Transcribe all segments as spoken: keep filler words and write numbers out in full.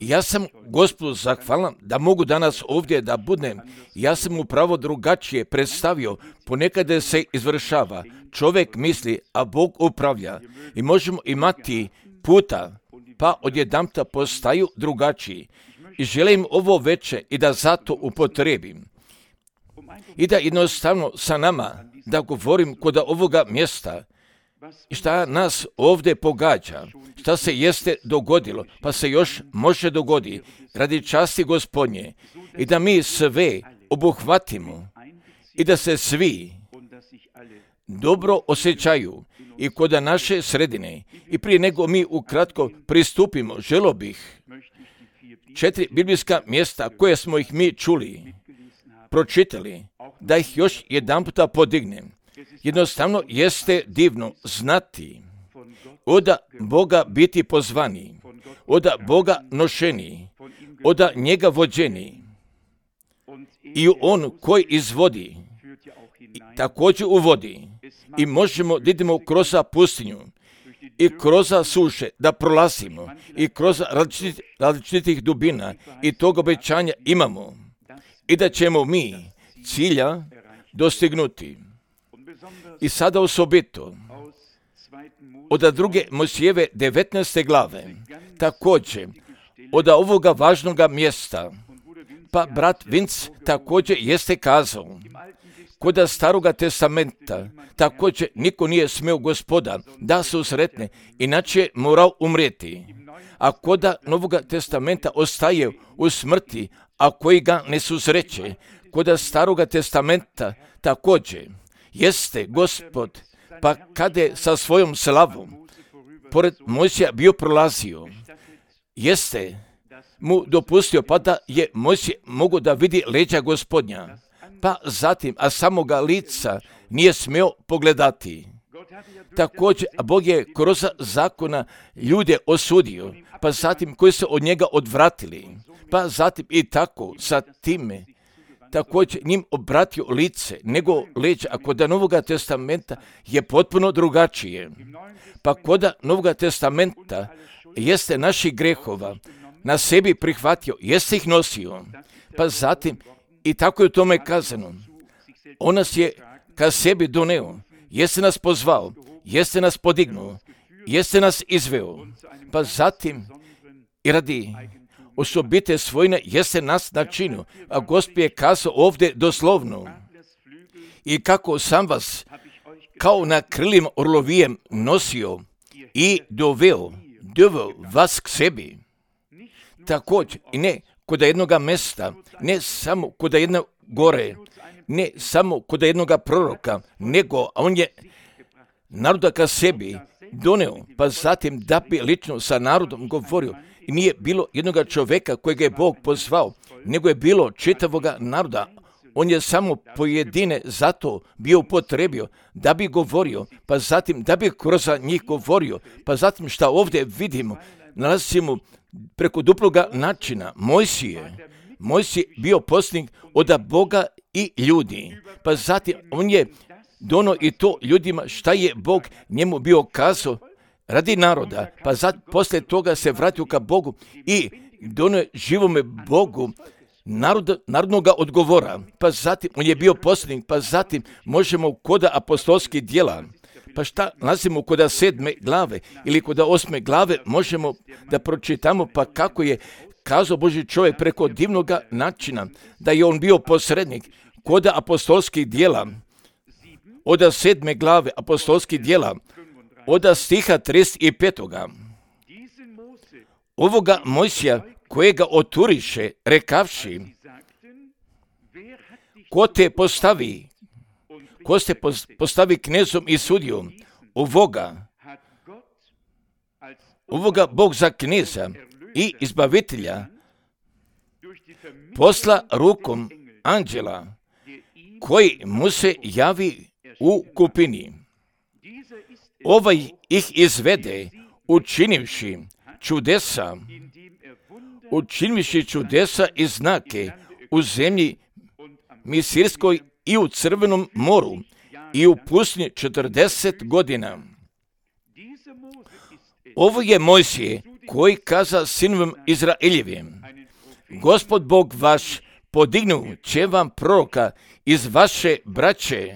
Ja sam Gospodu zahvalan da mogu danas ovdje da budem. Ja sam upravo drugačije predstavio. Ponekad se izvršava. Čovjek misli, a Bog upravlja. I možemo imati puta, pa odjedanput postaju drugačiji. I želim ovo veče i da zato upotrebim. I da jednostavno sa nama da govorim kod ovoga mjesta. I šta nas ovdje pogađa, šta se jeste dogodilo, pa se još može dogoditi radi časti Gospodnje. I da mi sve obuhvatimo i da se svi dobro osjećaju i kod naše sredine. I prije nego mi ukratko pristupimo, želo bih četiri biblijska mjesta koje smo ih mi čuli, pročitali, da ih još jedan puta podignem. Jednostavno jeste divno znati od Boga biti pozvani, od Boga nošeni, od njega vođeni. I on koji izvodi, također uvodi. I možemo da idemo kroz pustinju i kroz suše da prolazimo i kroz različitih, različitih dubina i tog obećanja imamo i da ćemo mi cilja dostignuti. I sada osobito od druge Mojsijeve devetnaeste glave, također od ovoga važnoga mjesta, pa brat Vinc također jeste kazao, kod staroga testamenta također niko nije smio Gospoda da se usretne, inače je morao umrijeti. A kod Novoga testamenta ostaje u smrti, a koji ga ne susreće. Kod staroga testamenta također jeste Gospod, pa kada je sa svojom slavom pored Mojsija bio prolazio, jeste mu dopustio pa da je Mojsije mogo da vidi leđa Gospodnja, pa zatim, a samoga lica nije smio pogledati. Također, Bog je kroz zakona ljude osudio, pa zatim koji se od njega odvratili, pa zatim i tako sa time također njim obratio lice, nego leđa, a kod Novoga testamenta je potpuno drugačije. Pa kod Novoga testamenta jeste naših grehova na sebi prihvatio, jeste ih nosio, pa zatim i tako je u tome kazano. On nas je ka sebi doneo, jeste nas pozvao, jeste nas podignuo, jeste nas izveo, pa zatim i radi osobite svojine jeste nas načinio, a Gospod je kazao ovdje doslovno. I kako sam vas kao na krilima orlovijem nosio i doveo, doveo vas k sebi. Također i ne kod jednoga mesta, ne samo kod jedne gore, ne samo kod jednoga proroka, nego on je naroda ka sebi doneo, pa zatim da bi lično sa narodom govorio. I nije bilo jednoga čovjeka kojega je Bog pozvao, nego je bilo čitavoga naroda. On je samo pojedine zato bio upotrebio da bi govorio, pa zatim da bi kroz njih govorio, pa zatim šta ovdje vidimo, nalazimo preko duploga načina. Mojsije, Mojsije bio poslanik od Boga i ljudi, pa zatim on je dono i to ljudima šta je Bog njemu bio kazao radi naroda, pa zat, poslije toga se vratio ka Bogu i dono je živome Bogu narod, narodnoga odgovora, pa zatim on je bio poslanik, pa zatim možemo kod apostolskih djela, pa šta nalazimo kod sedme glave ili kod osme glave možemo da pročitamo pa kako je kazao Božji čovjek preko divnoga načina da je on bio posrednik kod apostolskih djela, od sedme glave apostolskih djela, od stiha trideset pet. Ovoga Mojsija kojega oturiše, rekavši, ko te postavi, ko te postavi knezom i sudijom, ovoga, ovoga Bog za kneza i izbavitelja posla rukom anđela koji mu se javi u kupini. Ovaj ih izvede učinivši čudesa, učinivši čudesa i znake u zemlji Misirskoj i u Crvenom moru i u pustinji četrdeset godina. Ovo je Mojsije koji kaza sinovim Izraeljevim, Gospod Bog vaš podignu će vam proroka iz vaše braće,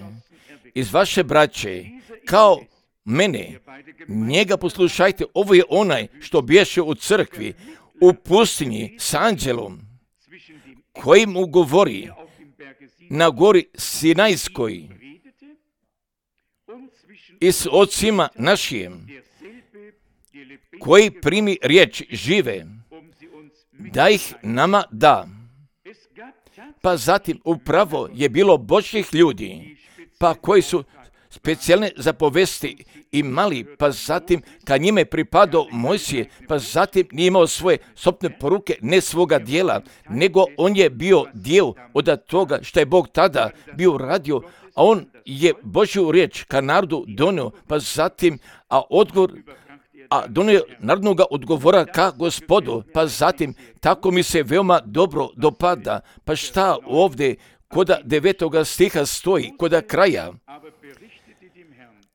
iz vaše braće, kao mene, njega poslušajte, ovo je onaj što bješe u crkvi, u pustinji s anđelom, koji mu govori na gori Sinajskoj i s ocima našim, koji primi riječ žive, da ih nama da. Pa zatim upravo je bilo Božjih ljudi, pa koji su specijalne zapovesti imali, pa zatim kad njime pripadao Mojsije, pa zatim nije imao svoje sopne poruke, ne svoga dijela, nego on je bio dio od toga što je Bog tada bio radio, a on je Božju riječ ka narodu donio, pa zatim, a odgovor, a donio narodnoga odgovora ka Gospodu, pa zatim, tako mi se veoma dobro dopada, pa šta ovdje koda devetoga stiha stoji, koda kraja,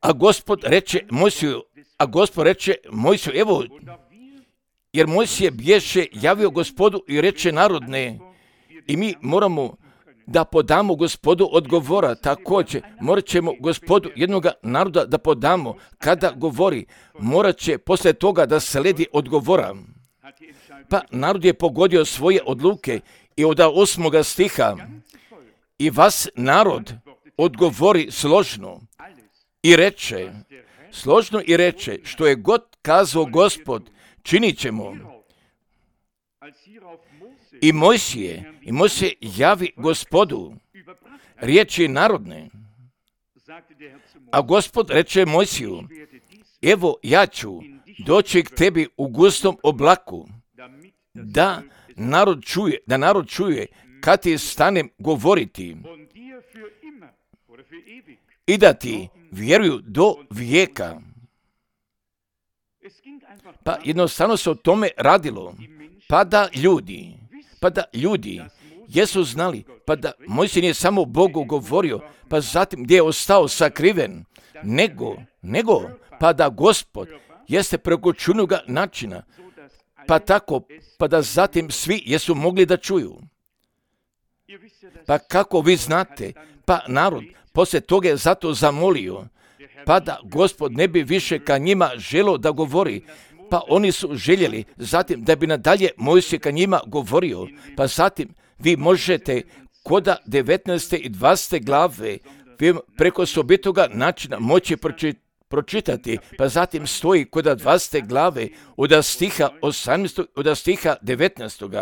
a Gospod reče Mojsiju, a Gospod reče Mojsiju, evo, jer Mojsije bješe javio Gospodu i reče narodne, i mi moramo da podamo Gospodu odgovora, također morat ćemo Gospodu jednoga naroda da podamo, kada govori, morat će posle toga da sledi odgovora. Pa narod je pogodio svoje odluke i od osmoga stiha, i vas narod odgovori složno i reče, složno i reče, što je god kazao Gospod, činit ćemo. I Mojsije, i Mojsije javi Gospodu riječi narodne, a Gospod reče Mojsiju, evo ja ću doći k tebi u gustom oblaku, da narod čuje, da narod čuje kad ti stanem govoriti i da ti vjeruju do vijeka. Pa jednostavno se o tome radilo, pa da ljudi, pa da ljudi jesu znali, pa da Mojsije nije samo Bogu govorio, pa zatim gdje je ostao sakriven, nego, nego, pa da Gospod jeste preko čudnoga načina, pa tako, pa da zatim svi jesu mogli da čuju. Pa kako vi znate, pa narod poslije toga je zato zamolio, pa da Gospod ne bi više ka njima želo da govori, pa oni su željeli zatim da bi nadalje Mojsije ka njima govorio, pa zatim vi možete koda devetnaeste i dvadesete glave vi preko osobitoga načina moći pročitati, pa zatim stoji koda dvadesete glave od stiha osamnaestog od stiha devetnaestog.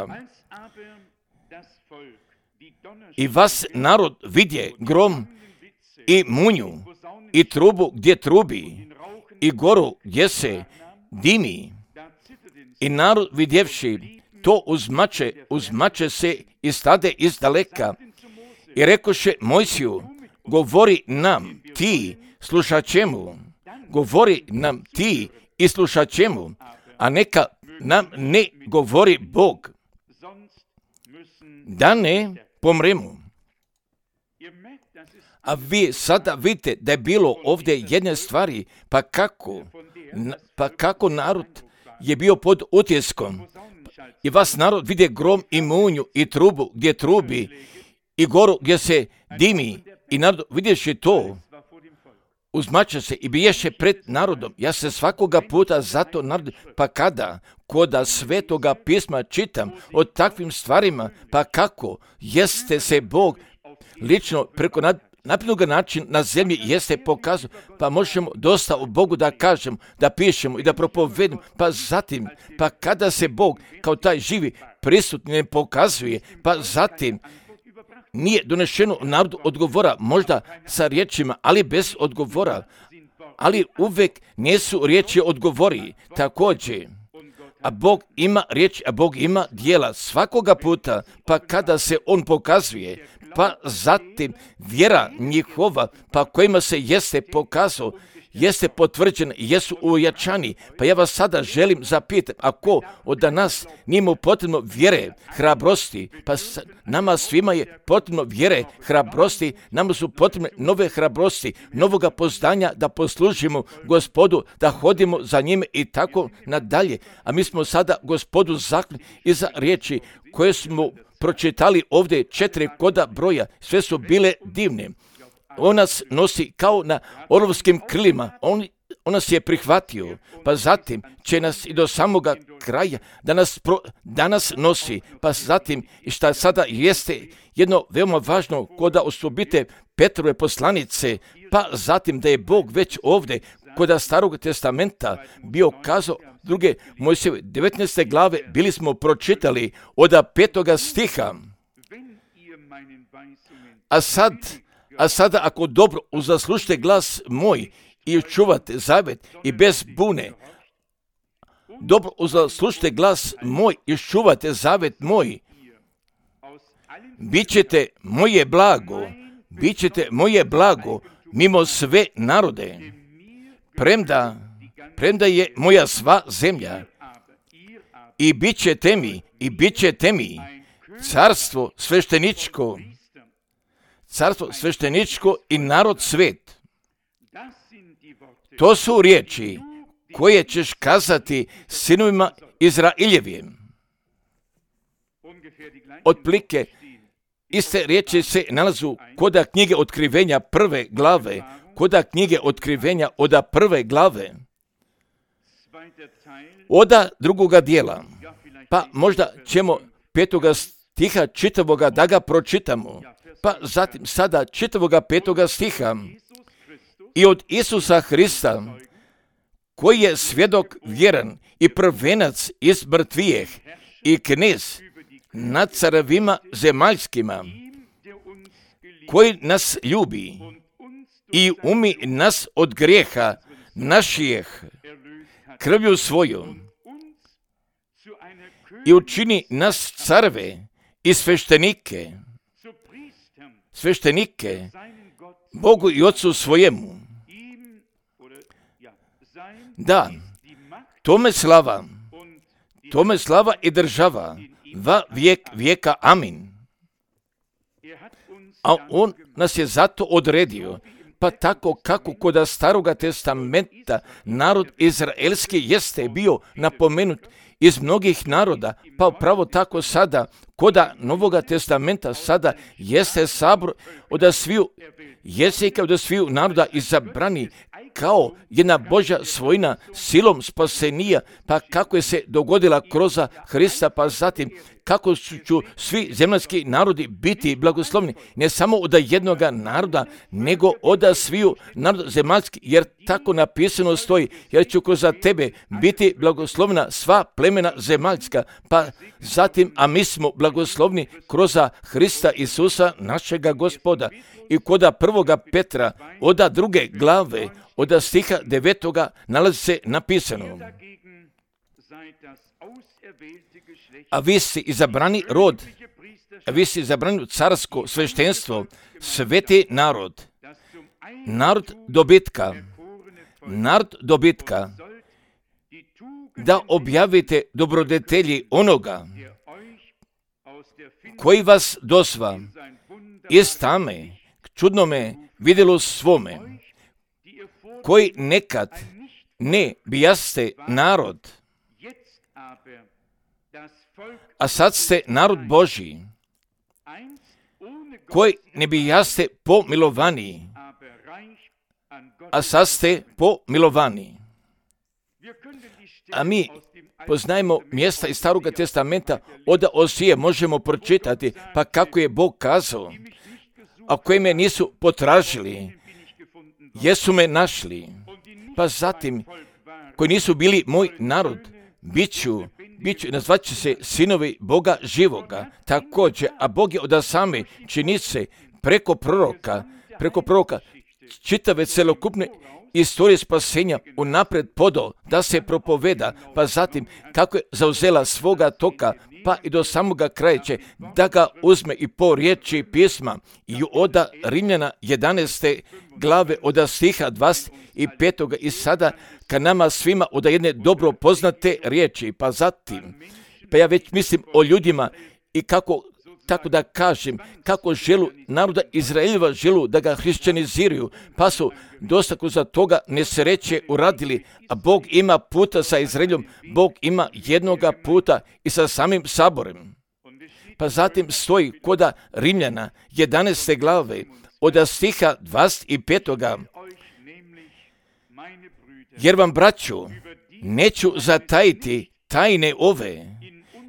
I vas narod vidje grom i munju i trubu gdje trubi i goru gdje se dimi. I narod vidjevši to uzmače, uzmače se i stade iz daleka i rekoše Mojsiju, govori nam ti, slušat ćemo, govori nam ti i slušat ćemo, a neka nam ne govori Bog, da ne pomremo. A vi sada vidite da je bilo ovdje jedne stvari, pa kako, pa kako narod je bio pod utjeskom. I vas narod vidje grom i munju i trubu gdje trubi i goru gdje se dimi i narod vidješi to, uzmače se i biješe pred narodom. Ja se svakoga puta zato narod, pa kada koda svetoga pisma čitam o takvim stvarima, pa kako jeste se Bog lično preko nad naprednoga način na zemlji jeste pokazao, pa možemo dosta o Bogu da kažemo, da pišemo i da propovedimo, pa zatim, pa kada se Bog kao taj živi prisutni ne pokazuje, pa zatim nije donešeno narodu odgovora, možda sa riječima, ali bez odgovora, ali uvek nisu riječi odgovori, također. A Bog ima riječ, a Bog ima dijela svakoga puta, pa kada se On pokazuje, pa zatim vjera njihova, pa kojima se jeste pokazao, jeste potvrđeni, jesu ujačani. Pa ja vas sada želim zapitati, ako od nas nije mu potrebno vjere, hrabrosti, pa nama svima je potrebno vjere, hrabrosti, nama su potrebne nove hrabrosti, novoga poznanja da poslužimo Gospodu, da hodimo za njime i tako nadalje. A mi smo sada Gospodu zakli iza riječi koje smo pročitali ovdje, četiri koda broja, sve su bile divne. On nas nosi kao na orlovskim krilima, on, on nas je prihvatio, pa zatim će nas i do samoga kraja da nas, pro, da nas nosi, pa zatim i šta sada jeste jedno veoma važno koda osobite Petrove poslanice, pa zatim da je Bog već ovdje koda Starog testamenta bio kazao druge Mojsijeve devetnaeste glave, bili smo pročitali od petoga stiha. A sad, a sada ako dobro uzaslušite glas moj i čuvate zavet i bez bune, dobro uzaslušite glas moj i čuvate zavet moj, bit ćete moje blago, bit ćete moje blago mimo sve narode, premda, premda je moja sva zemlja, i bit ćete mi, i bit ćete mi carstvo svešteničko, carstvo svešteničko i narod svet. To su riječi koje ćeš kazati sinovima Izraeljevim. Otplike iste riječi se nalazu koda knjige Otkrivenja prve glave, koda knjige Otkrivenja oda prve glave, oda drugoga dijela, pa možda ćemo petoga stiha čitavoga da ga pročitamo, pa zatim sada čitavoga petoga stiha. I od Isusa Hrista, koji je svjedok vjeran i prvenac iz mrtvijeh i knez nad carevima zemaljskima, koji nas ljubi i umi nas od grijeha naših krvlju svojom i učini nas careve i sveštenike, sveštenike Bogu i Otcu svojemu. Da, tome slava, tome slava i država, va vijek vijeka, amin. A on nas je zato odredio, pa tako kako kod Staroga testamenta narod izraelski jeste bio napomenut iz mnogih naroda, pa upravo tako sada koda Novoga testamenta sada jeste sabor od sviju jezika, od sviju naroda izabrani kao jedna Božja svojina silom spasenija, pa kako je se dogodila kroz Hrista, pa zatim kako ću svi zemaljski narodi biti blagoslovni, ne samo od jednoga naroda, nego od sviju naroda zemaljski, jer tako napisano stoji, jer ću kroz tebe biti blagoslovna sva plemena zemaljska, pa zatim, a mi smo blagoslovni kroz Hrista Isusa, našega Gospoda. I koda prvoga Petra, oda druge glave, oda stiha devetoga, nalazi se napisano: a vi si izabrani rod, a vi si izabrani carsko sveštenstvo, sveti narod, narod dobitka, narod dobitka, da objavite dobrodetelji onoga koji vas dosva iz tame k čudnome vidjelu svome, koji nekad ne bijaste narod, a sad ste narod Božji, koji ne bijaste pomilovani, a sad ste pomilovani. A mi poznajemo mjesta iz Staroga testamenta, od Osije možemo pročitati, pa kako je Bog kazao, a koji me nisu potražili, jesu me našli, pa zatim, koji nisu bili moj narod, bit ću, bit ću, nazvat će se sinovi Boga živoga, također, a Bog je od same činice preko proroka, preko proroka, čitave celokupne istorije spasenja unapred podao da se propoveda, pa zatim kako je zauzela svoga toka, pa i do samoga kraja će da ga uzme i po riječi pisma. I oda Rimljana jedanaeste glave od stiha dvadeset pet i sada ka nama svima oda jedne dobro poznate riječi, pa zatim, pa ja već mislim o ljudima i kako, tako da kažem, kako želu naroda Izraeljeva želu da ga hrišćaniziraju, pa su dosta za toga nesreće uradili, a Bog ima puta sa Izraeljom, Bog ima jednoga puta i sa samim saborem. Pa zatim stoji koda Rimljana jedanaeste glave od stiha dvadeset pet. Jer vam, braćo, neću zatajiti tajne ove,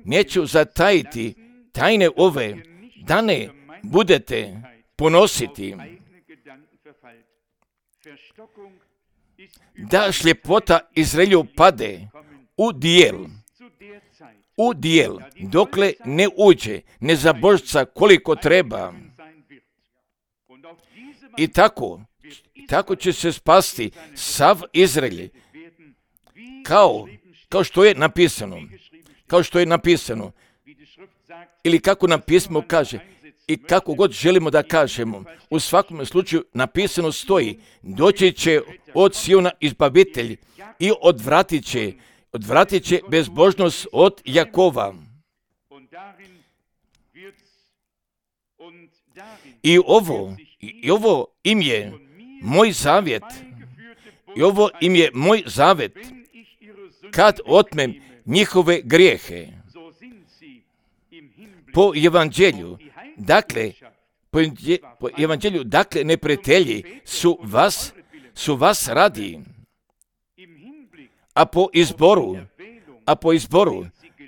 neću zatajiti tajne ove, da ne budete ponositi, da šljepota Izraelju pade u dijel, u dijel, dokle ne uđe nezabožca koliko treba. I tako, tako će se spasti sav Izraelj, kao, kao što je napisano, kao što je napisano, ili kako nam pismo kaže, i kako god želimo da kažemo, u svakom slučaju napisano stoji, doći će od Siona izbavitelj i odvratit će, odvratit će bezbožnost od Jakova. I ovo, i ovo im je moj zavjet, i ovo im je moj zavjet, kad otmem njihove grijehe. Po evanđelju, dakle, po, po evanđelju, dakle, neprijatelji su vas, su vas radi, a po izboru, a po izboru,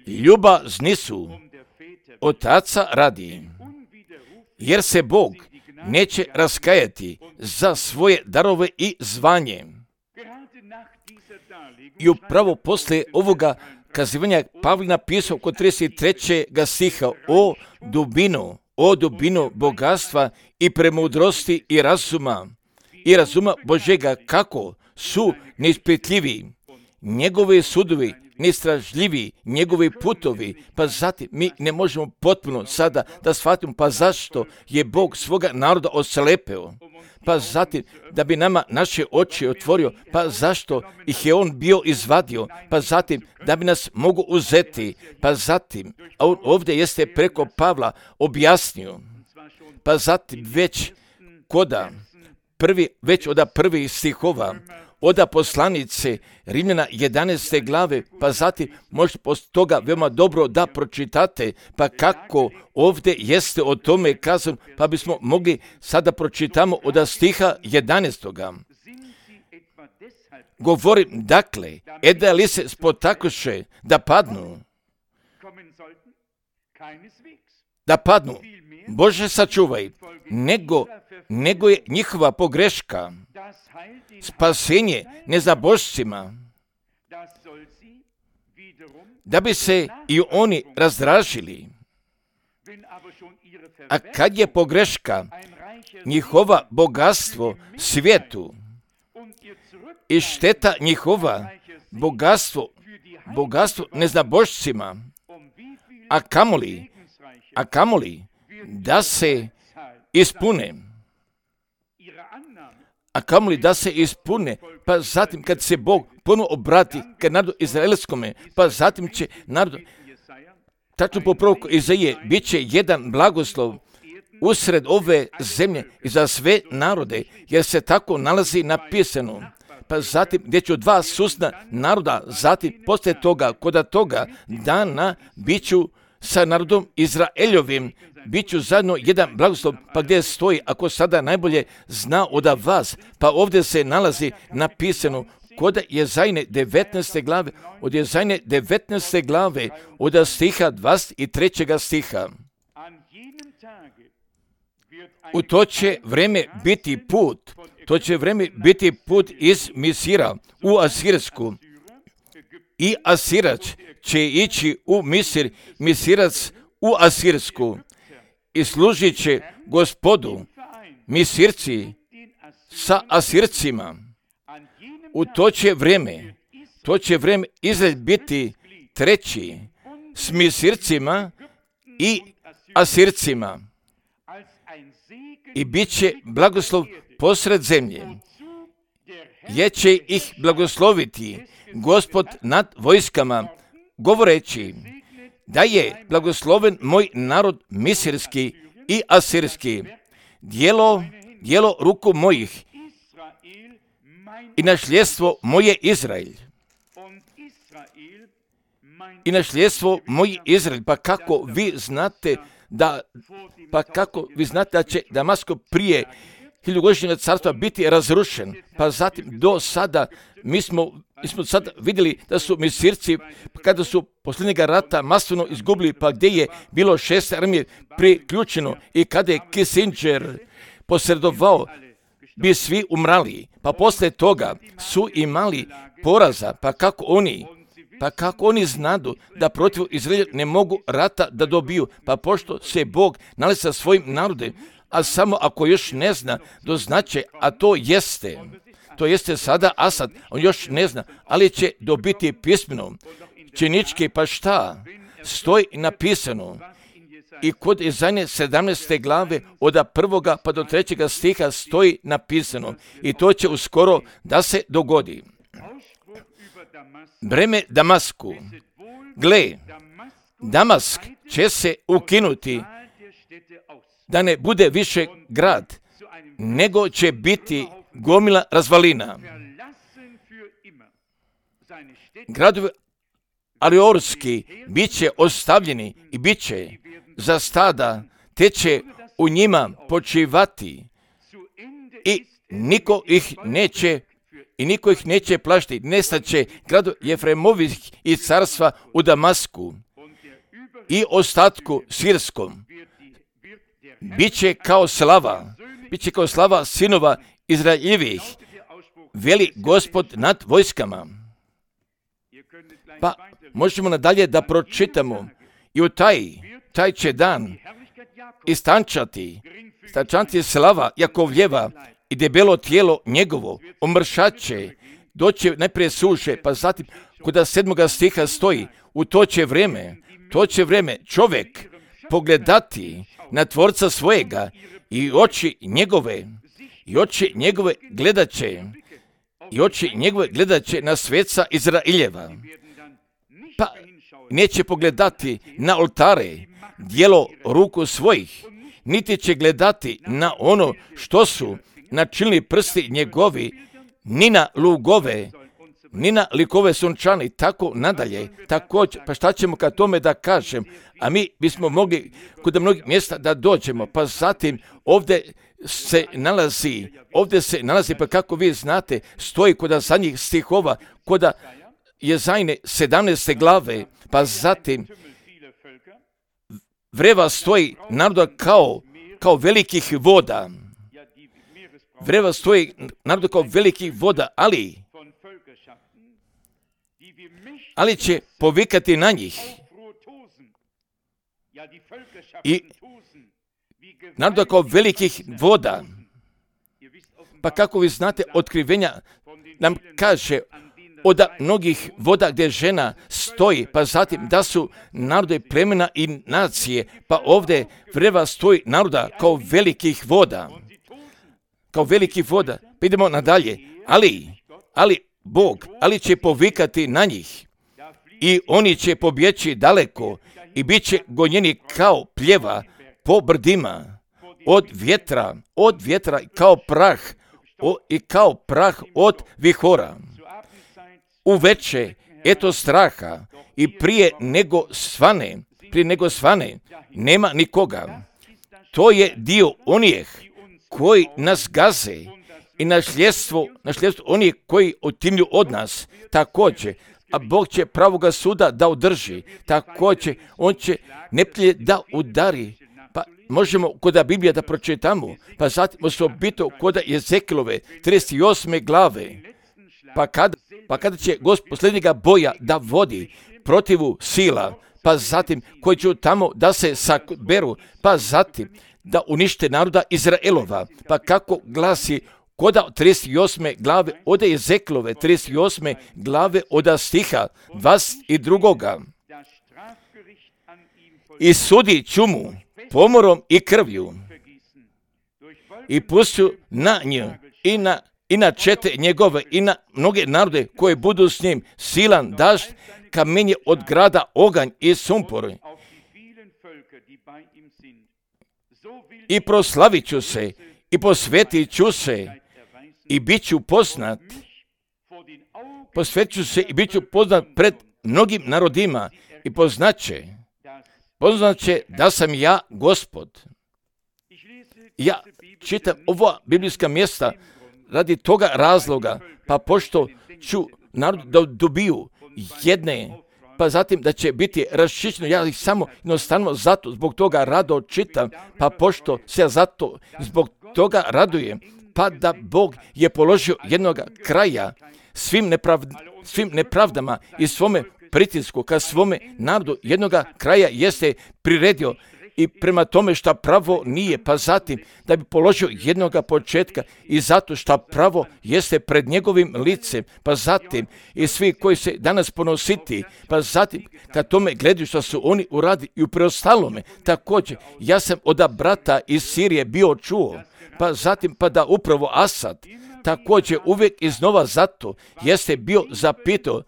ljubazni su otaca radi, jer se Bog neće raskajati za svoje darove i zvanje. I upravo posle ovoga kazivanja Pavle napisao kod trideset trećeg stiha o dubinu, o dubinu bogatstva i premudrosti i razuma, i razuma Božega, kako su neispitljivi njegovi sudovi, neistražljivi njegovi putovi, pa zatim mi ne možemo potpuno sada da shvatimo pa zašto je Bog svoga naroda oslepeo, pa zatim da bi nama naše oči otvorio, pa zašto ih je on bio izvadio, pa zatim da bi nas mogu uzeti, pa zatim, a on ovdje jeste preko Pavla objasnio, pa zatim već koda prvi, već od prvih stihova, oda poslanice Rimljana jedanaeste glave, pa zatim možete poslije toga veoma dobro da pročitate, pa kako ovdje jeste o tome kazano, pa bismo mogli sada pročitamo od stiha jedanaestog. Govorim, dakle, eda li se spotakoše da padnu, da padnu, Bože sačuvaj, nego, nego je njihova pogreška spasenje nezabožcima, da bi se i oni razdražili. A kad je pogreška njihova bogatstvo svijetu i šteta njihova bogatstvo, bogatstvo nezabožcima, a kamoli, a kamoli da se ispune, a kamoli da se ispune, pa zatim kad se Bog ponovno obrati ka narodu izraelskome, pa zatim će narod, tačno po proroku Izaije, bit će jedan blagoslov usred ove zemlje i za sve narode, jer se tako nalazi napisano. Pa zatim gdje ću dva susjedna naroda, zatim poslije toga, koda toga dana, bit ću sa narodom Izraeljovim, bit ću zajedno jedan blagoslov, pa gdje stoji, ako sada najbolje zna od vas, pa ovdje se nalazi napisano kod Jezajne devetnaeste glave, od Jezajne devetnaeste glave, od stiha dvadeset trećeg stiha. U to će vreme biti put, to će vreme biti put iz Misira u Asirsku, i Asirac će ići u Misir, Misirac u Asirsku, i služit će Gospodu Misirci sa Asircima. u to će vrijeme, to će vrijeme Izrael biti treći s Misircima i Asircima i bit će blagoslov posred zemlje. Je će ih blagosloviti Gospod nad vojskama, govoreći da je blagosloven moj narod misirski i asirski, djelo, djelo ruku mojih i našljedstvo moje Izrael. I našljedstvo moji Izrael. Pa kako vi znate da, pa kako vi znate da će Damasko prije hiljugodišnjeg carstva biti razrušen? Pa zatim do sada mi smo, mi smo sad vidjeli da su Misirci, kada su posljednjega rata masovno izgubili, pa gdje je bilo šest armije priključeno i kada je Kissinger posredovao, bi svi umrali. Pa poslije toga su imali poraza, pa kako oni Pa kako oni znadu da protiv Izraela ne mogu rata da dobiju? Pa pošto se Bog nalazi sa svojim narodom, a samo ako još ne zna, doznaće, a to jeste, to jeste sada Asad, on još ne zna, ali će dobiti pismeno, činički, pa šta? Stoji napisano. I kod Izaije sedamnaeste glave od prvoga pa do trećega stiha stoji napisano. I to će uskoro da se dogodi. Breme Damasku. Gle, Damask će se ukinuti, da ne bude više grad, nego će biti gomila razvalina. Gradovi Ariorski bit će ostavljeni i bit će za stada, te će u njima počivati i niko ih neće I niko ih neće plašiti, nestaće gradu Jefremovih i carstva u Damasku i ostatku sirskom. Biće kao slava, biće kao slava sinova Izraeljevih, veli Gospod nad vojskama. Pa možemo nadalje da pročitamo i u taj, taj će dan istančati, istančati slava Jakovljeva i debelo tijelo njegovo, omršat će, doće najprije suše, pa zatim kuda sedmoga stiha stoji, u to će vrijeme, to će vrijeme čovjek pogledati na tvorca svojega i oči njegove, i oči njegove gledat će, i oči njegove gledat će na sveca Izraeljeva. Pa neće pogledati na oltare, djelo ruku svojih, niti će gledati na ono što su načinili prsti njegovi, ni na lugove, ni na likove sunčani, tako nadalje. Također, pa šta ćemo kad tome da kažem? A mi bismo mogli kod mnogih mjesta da dođemo, pa zatim ovdje se nalazi, ovdje se nalazi, pa kako vi znate, stoji kod zadnjih stihova, kod Jezajne sedamnaeste glave, pa zatim vreva stoji naroda kao, kao velikih voda. Vreva stoji narodu kao velikih voda, ali, ali će povikati na njih. I narodu kao velikih voda. Pa kako vi znate, otkrivenja nam kaže od mnogih voda gdje žena stoji, pa zatim da su narode plemena i nacije, pa ovdje vreva stoji naroda kao velikih voda. Kao velikih voda. Pa idemo nadalje. Ali, ali Bog, ali će povikati na njih i oni će pobjeći daleko i bit će gonjeni kao pljeva po brdima, od vjetra, od vjetra kao prah o, i kao prah od vihora. Uveče, eto straha i prije nego svane, prije nego svane, nema nikoga. To je dio onih koji nas gaze i našljedstvo, našljedstvo onih koji otimlju od nas, također, a Bog će pravoga suda da održi, također, on će neplje da udari. Pa možemo kod Biblija da pročitamo, pa zatim osobito kod Jezekilove trideset osme glave, pa kada, pa kada će Gospod posljednjega boja da vodi protivu sila, pa zatim koji će tamo da se saberu, pa zatim da unište naroda Izraelova, pa kako glasi koda trideset osme glave od Ezeklove, trideset osme glave od stiha dvadeset dva. I sudi ću mu pomorom i krvju i pustio na nju i na, i na čete njegove i na mnoge narode koje budu s njim silan dažd, kamenje od grada, oganj i sumpor. I proslavit ću se i posvetit ću se i bit ću poznat. Posvetit ću se i bit ću poznat pred mnogim narodima i poznaće, poznaće da sam ja Gospod. Ja čitam ova biblijska mjesta radi toga razloga, pa pošto ću narod da dobiju jedne, pa zatim da će biti raščišćeno, ja ih samo jednostavno zato zbog toga rado čitam, pa pošto se ja zato zbog toga radujem, pa da Bog je položio jednog kraja svim, neprav, svim nepravdama i svome pritisku ka svome narodu jednoga kraja jeste priredio i prema tome šta pravo nije, pa zatim da bi položio jednoga početka i zato šta pravo jeste pred njegovim licem, pa zatim i svi koji se danas ponositi, pa zatim kad tome gledaju što su oni uradi i u preostalome, također ja sam od brata iz Sirije bio čuo, pa zatim pa da upravo Asad također uvijek iznova zato jeste bio zapitao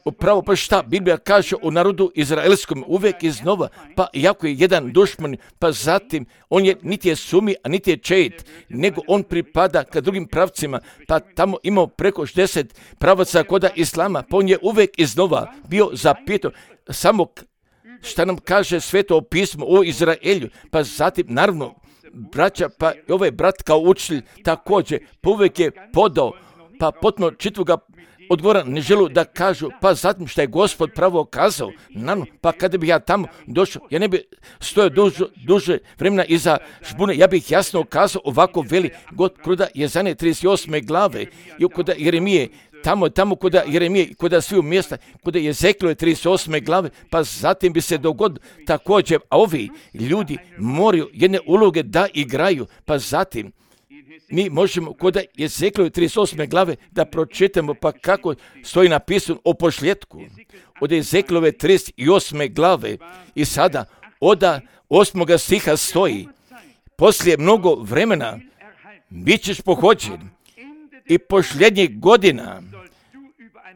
upravo pa šta Biblija kaže o narodu izraelskom uvijek iznova, pa iako je jedan dušman, pa zatim on je niti je sumi, a niti je čeit, nego on pripada ka drugim pravcima, pa tamo imao preko šezdeset pravaca koda islama, pa on je uvijek iznova bio zapitao samo šta nam kaže Sveto pismo o Izraelju, pa zatim naravno braća, pa i ovaj brat kao učitelj također pa uvijek je podao, pa potpuno čitvoga odgovora ne želu da kažu, pa zatim što je Gospod pravo kazao, naravno, pa kada bi ja tamo došao, ja ne bi stojao duže, duže vremena iza žbune, ja bih jasno kazao ovako veli god kod Jezanje trideset osme glave i kod Jeremije, tamo, tamo kod Jeremije, kod sviju mjesta, kod Ezeklove trideset osme glave, pa zatim bi se dogodilo također, a ovi ljudi moraju jedne uloge da igraju, pa zatim mi možemo kod Ezeklove trideset osme glave da pročitamo pa kako stoji napisano o pošljetku od Ezeklove trideset osme glave i sada od osmoga stiha stoji poslije mnogo vremena bit ćeš pohođen i posljednjih godina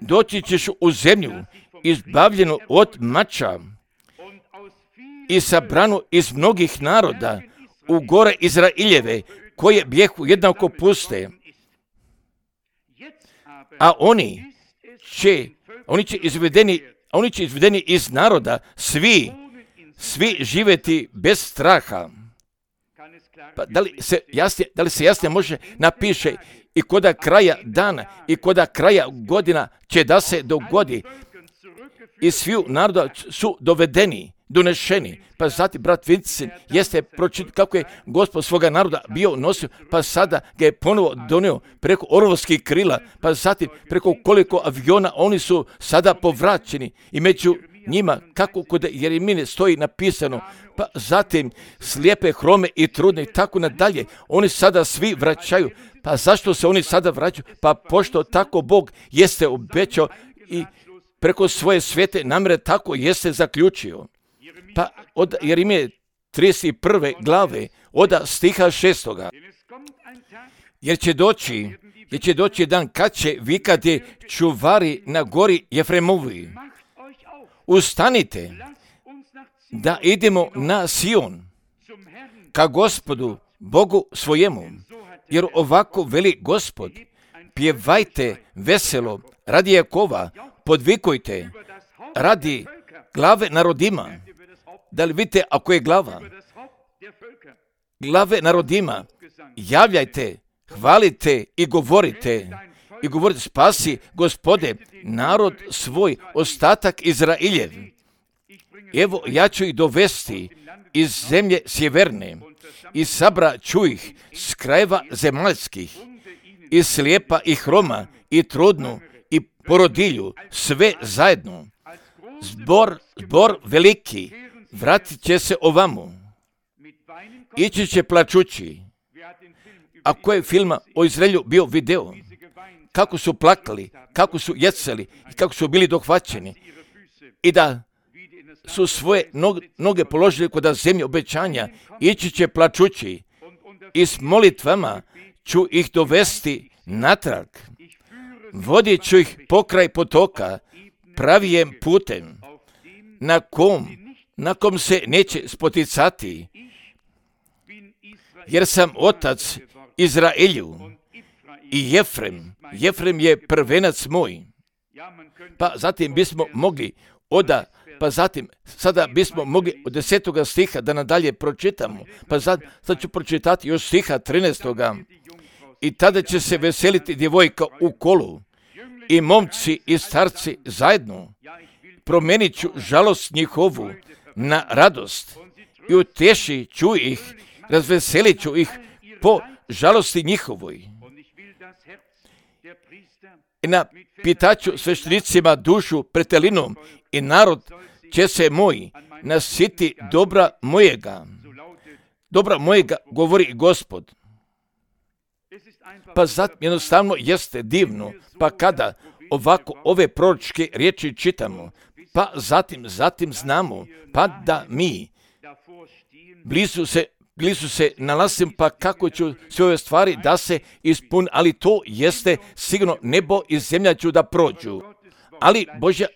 doći ćeš u zemlju izbavljenu od mača i sabranu iz mnogih naroda u gore Izraeljeve koje bijehu jednako puste, a oni će, oni će izvedeni, oni će izvedeni iz naroda, svi, svi živjeti bez straha. Pa da li se jasnije, da li se jasnije može napiše i koda kraja dana i koda kraja godina će da se dogodi i sviju naroda su dovedeni, donešeni, pa zatim brat Vincent jeste pročitao kako je Gospod svoga naroda bio nosio, pa sada ga je ponovo donio preko orlovskih krila, pa zatim preko koliko aviona oni su sada povraćeni i među njima kako kod Jeremije stoji napisano, pa zatim slijepe, hrome i trudne i tako nadalje, oni sada svi vraćaju. Pa zašto se oni sada vraćaju? Pa pošto tako Bog jeste obećao i preko svoje svete namjere tako jeste zaključio. Pa od Jeremije trideset prve glave, od stiha šestoga. Jer će doći, jer će doći dan kad će vikati čuvari na gori Jefremovi. Ustanite da idemo na Sion, ka Gospodu, Bogu svojemu. Jer ovako veli Gospod, pjevajte veselo radi Jakova, podvikujte radi glave narodima. Da li vidite ako je glava? Glave narodima, javljajte, hvalite i govorite. I govorite, spasi Gospode, narod svoj, ostatak Izraeljev. Evo, ja ću ih dovesti iz zemlje sjeverne i sabra ću ih s krajeva zemaljskih i slijepa i hroma i trudnu i porodilju, sve zajedno. Zbor, zbor veliki, vratit će se ovamo. Ići će plačući. a koje filma o Izraelju bio video, kako su plakali, kako su jecali i kako su bili dohvaćeni i da su svoje noge položili kod zemlje obećanja, ići će plačući i s molitvama ću ih dovesti natrag. Vodit ću ih pokraj potoka, pravijem putem, na kom, na kom se neće spoticati, jer sam otac Izraelju i Jefrem. Jefrem je prvenac moj. Pa zatim bismo mogli oda, pa zatim, sada bismo mogli od desetoga stiha da nadalje pročitamo. Pa sad, sad ću pročitati još stiha trinaestoga. I tada će se veseliti djevojka u kolu i momci i starci zajedno. Promenit ću žalost njihovu na radost i utješit ću ih, razveselit ću ih po žalosti njihovoj. I napitaću sveštenicima dušu pretelinom i narod će se moj nasiti dobra mojega. Dobra mojega, govori Gospod. Pa zatim jednostavno jeste divno, pa kada ovako ove proročke riječi čitamo, pa zatim, zatim znamo, pa da mi blizu se, blizu se nalazim, pa kako ću sve ove stvari da se ispuni, ali to jeste sigurno nebo i zemlja ću da prođu, ali Božja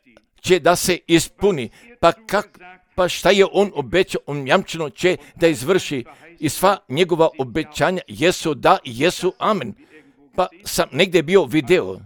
će da se ispuni, pa kak, pa šta je on obećao, on jamčeno će da izvrši i sva njegova obećanja jesu da i jesu amen. Pa sam negdje bio video,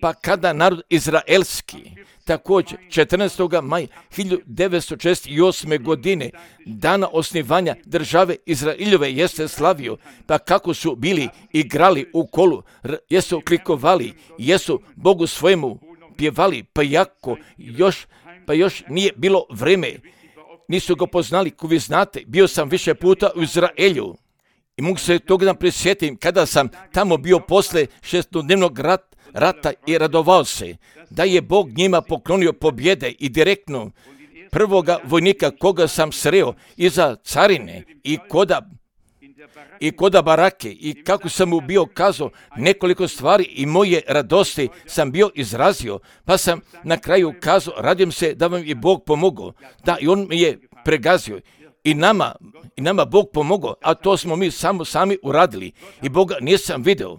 pa kada narod izraelski, također četrnaestog maja hiljadu devetsto šezdeset osme. godine, dana osnivanja države Izraeljove, jeste slavio, pa kako su bili igrali u kolu, jesu klikovali, jesu Bogu svojemu pjevali, pa jako još, pa još nije bilo vreme, nisu ga poznali, ko vi znate, bio sam više puta u Izraelju i mogu se toga da prisjetim kada sam tamo bio posle šestodnevnog rat, rata i radovao se da je Bog njima poklonio pobjede i direktno prvoga vojnika koga sam sreo iza carine i koda i koda barake i kako sam mu bio kazao nekoliko stvari i moje radosti sam bio izrazio, pa sam na kraju kazao radim se da vam je Bog pomogao, da i on mi je pregazio i nama, i nama Bog pomogao, a to smo mi samo sami uradili i Boga nisam video.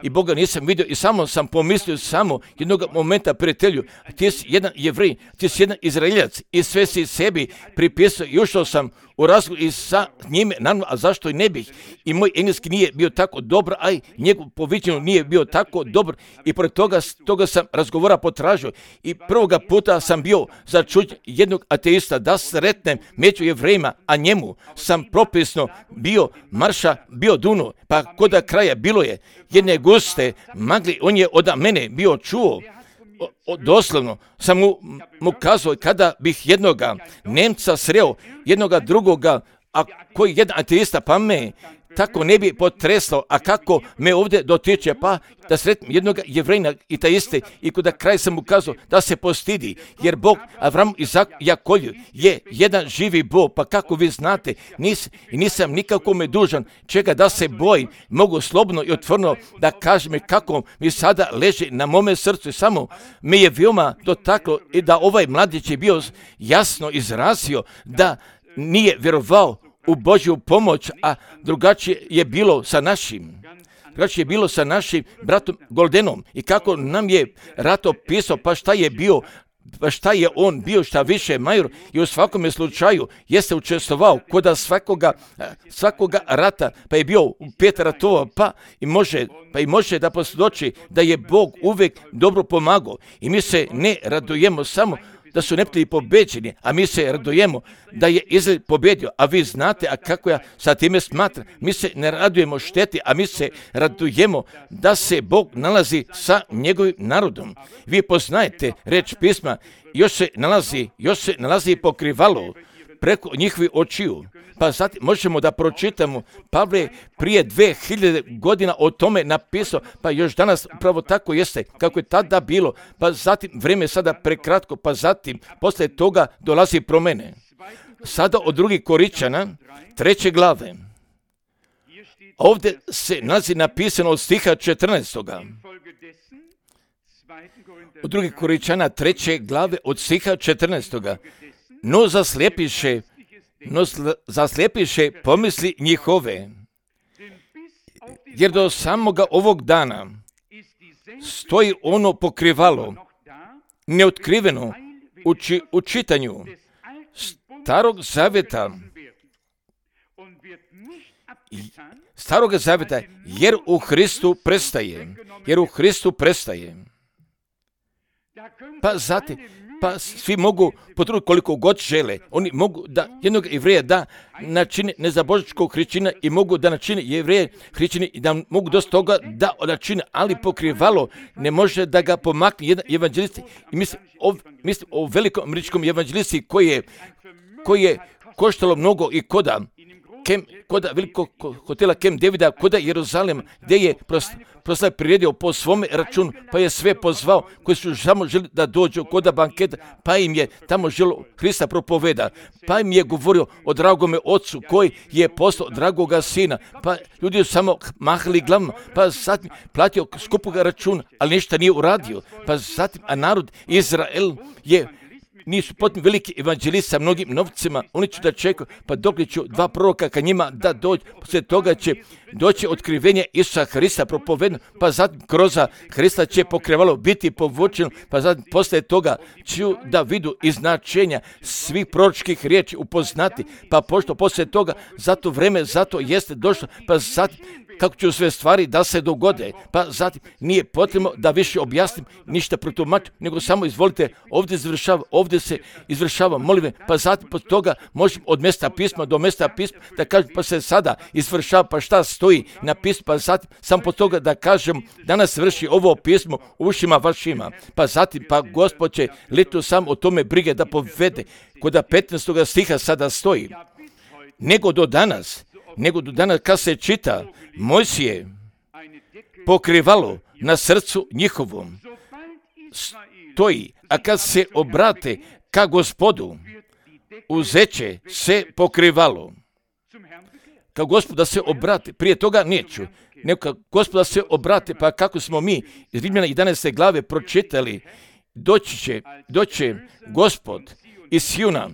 I Boga nisam vidio i samo sam pomislio samo jednog momenta, prijatelju, ti si jedan Jevrej, ti si jedan Izraeljac i sve si sebi pripisao i ušao sam u razgovor i sa njime, naravno, a zašto i ne bih? I moj engleski nije bio tako dobar, a i njegov poviđeno nije bio tako dobar i pored toga, toga sam razgovora potražio i prvoga puta sam bio začuđen jednog ateista da sretnem među Jevrejima, a njemu sam propisno bio marša, bio duno, pa koda kraja bilo je jedne guste magli, on je od mene bio čuo, o, o, doslovno sam mu, mu kazao kada bih jednoga Nemca sreo, jednoga drugoga, a koji jedan ateista, pa me tako ne bi potreslo, a kako me ovdje dotiče, pa da sretnem jednog Jevrejna i ta iste, i kada kraj sam mu kazao da se postidi, jer Bog Avram, Izak, Jakolju je jedan živi Bog, pa kako vi znate, nis, nisam nikakome dužan čega da se bojim, mogu slobodno i otvoreno da kažem kako mi sada leži na mome srcu, samo me je veoma dotaklo i da ovaj mladić je bio jasno izrazio da nije vjerovao u Božju pomoć, a drugačije je bilo sa našim. Drugačije je bilo sa našim bratom Goldenom i kako nam je Rato pisao, pa šta je bio, pa šta je on bio, šta više major i u svakome slučaju jeste učestvovao kod svakoga, svakoga rata, pa je bio u pet ratova, pa i može, pa i može da posvjedoči da je Bog uvijek dobro pomagao i mi se ne radujemo samo da su neprijatelji pobeđeni, a mi se radujemo da je Izrael pobjedio, a vi znate, a kako ja sa time smatram, mi se ne radujemo šteti, a mi se radujemo da se Bog nalazi sa njegovim narodom. Vi poznajete reč pisma, još se nalazi, još se nalazi pokrivalo preko njihovih očiju. Pa zatim možemo da pročitamo, Pavle prije dve hiljade godina o tome napisao, pa još danas upravo tako jeste, kako je tada bilo, pa zatim vrijeme je sada prekratko, pa zatim posle toga dolazi promjene. Sada od drugih Koričana, treće glave, ovdje se nalazi napisano od stiha četrnaestog. Od drugih Korinčana treće glave od stiha četrnaestog. No zaslijepiše, no zaslijepiše pomisli njihove, jer do samoga ovog dana stoji ono pokrivalo, neotkriveno u, či, u čitanju starog zavjeta, starog zavjeta, jer u Hristu prestaje, jer u Hristu prestaje. Pa zatim, pa svi mogu potruditi koliko god žele. Oni mogu da jednog Jevreja da načine nezabožničkog hrišćanina i mogu da načine Jevreje hrišćani i da mogu dosta toga da načine, ali pokrivalo ne može da ga pomakne jedan evanđelist. I mislim o, mislim o velikom američkom evanđelisti koji je, koji je koštalo mnogo i koda Kem, koda velikog hotela Camp Davida, koda Jeruzalem, gdje je proslav priredio po svome računu, pa je sve pozvao koji su samo želi da dođu koda banketa, pa im je tamo želo Hrista propoveda, pa im je govorio o dragome ocu koji je poslao dragoga sina, pa ljudi su samo mahali glavom, pa zatim platio skupoga računa, ali ništa nije uradio, pa zatim, a narod Izrael je nisu potpuno veliki evanđelisti sa mnogim novcima, oni će da čekaju, pa dok ću dva proroka ka njima da dođu, poslije toga će doći otkrivenje Isusa Hrista propovedno, pa zatim kroz Hrista će pokrivalo biti povučeno, pa zatim poslije toga ću da vidu i značenja svih proročkih riječi upoznati, pa pošto poslije toga, zato vreme, zato jeste došlo, pa zatim kako ću sve stvari da se dogode, pa zatim nije potrebno da više objasnim ništa protumačim, nego samo izvolite, ovdje izvršava, ovdje se izvršava molitve, pa zatim pod toga možemo od mjesta pisma do mjesta pisma da kažem pa se sada izvršava, pa šta stoji na pismu, pa zatim sam pod toga da kažem danas vrši ovo pismo u ušima vašima, pa zatim pa Gospod će leto sam o tome brige da povede, kod petnaestog stiha sada stoji, nego do danas, nego do danas kad se čita Mojsije pokrivalo na srcu njihovom stoji, a kad se obrate ka Gospodu uzeće se pokrivalo. Ka Gospodu da se obrate, prije toga neću, nego ka Gospodu da se obrate, pa kako smo mi iz Rimljana jedanaeste glave pročitali, doći će, doći će Gospod iz Sijona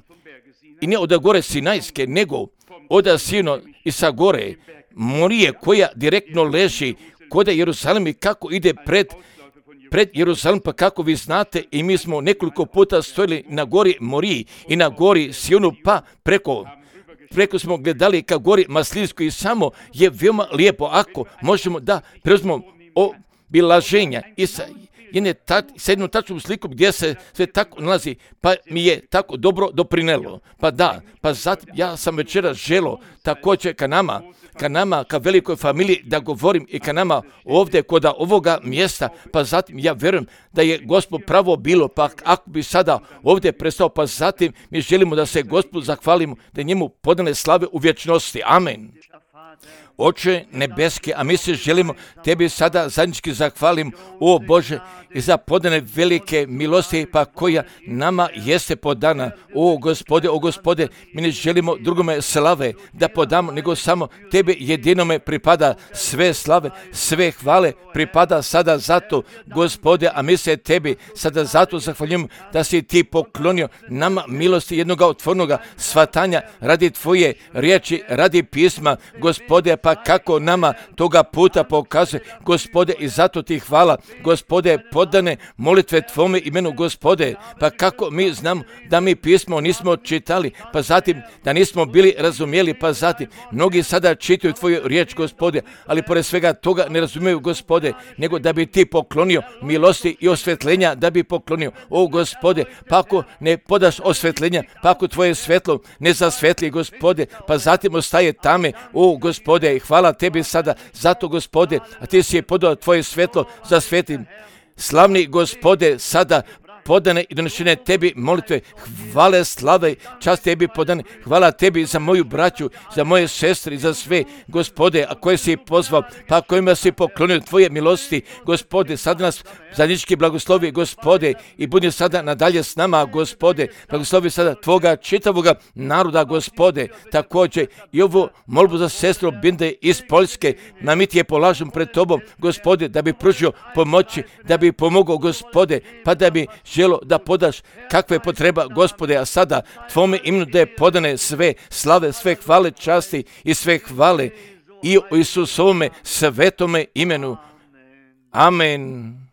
i ne od gore Sinajske, nego od Sijona i sa gore Morije koja direktno leži kod Jeruzalem i kako ide pred, pred Jeruzalem, pa kako vi znate i mi smo nekoliko puta stojili na gori Moriji i na gori Sijonu, pa preko, preko smo gledali ka gori Maslinskoj i samo je veoma lijepo ako možemo da preuzmemo obilaženja i sa jedne ta, sa jednom tačnom slikom gdje se sve tako nalazi, pa mi je tako dobro doprinelo. Pa da, pa zatim ja sam večera želo također ka nama, ka nama, ka velikoj familiji da govorim i ka nama ovdje kod ovoga mjesta, pa zatim ja vjerujem da je Gospod pravo bilo, pa ako bi sada ovdje prestao, pa zatim mi želimo da se Gospodu zahvalimo, da njemu podane slave u vječnosti. Amen. Oče nebeski, a mi se želimo tebi sada zajednički zahvalim, o Bože, i za podane velike milosti, pa koja nama jeste podana. O Gospode, o Gospode, mi ne želimo drugome slave da podamo, nego samo tebe jedinome pripada sve slave, sve hvale pripada sada zato, Gospode, a mi se tebi sada zato zahvaljujemo da si ti poklonio nama milosti jednog otvornog shvatanja radi tvoje riječi, radi pisma, Gospode, pa kako nama toga puta pokazuje, Gospode, i zato ti hvala, Gospode, podane molitve tvome imenu, Gospode, pa kako mi znamo da mi pismo nismo čitali, pa zatim da nismo bili razumjeli, pa zatim mnogi sada čitaju tvoju riječ, Gospode, ali pored svega toga ne razumiju, Gospode, nego da bi ti poklonio milosti i osvetljenja, da bi poklonio, o Gospode, pa ako ne podaš osvetljenja, pa ako tvoje svetlo ne zasvetli, Gospode, pa zatim ostaje tame, o Gospode, i hvala tebi sada, zato, Gospode, a ti si je podao tvoje svetlo za svetim. Slavni Gospode, sada podane i donešene tebi molitve, hvale, slave, čast tebi podane, hvala tebi za moju braću, za moje sestre i za sve, Gospode, a koje si pozvao, pa kojima si poklonio tvoje milosti, Gospode, sad nas zajednički blagoslovi, Gospode, i budi sada nadalje s nama, Gospode, blagoslovi sada tvoga čitavoga naroda, Gospode, također i ovu molbu za sestru Binde iz Poljske, na mi ti je polažem pred tobom, Gospode, da bi pružio pomoći, da bi pomogao, Gospode, pa da bi želo da podaš kakve potreba, Gospode, a sada tvome imenu da je podane sve slave, sve hvale, časti i sve hvale i u Isusovome svetome imenu. Amen.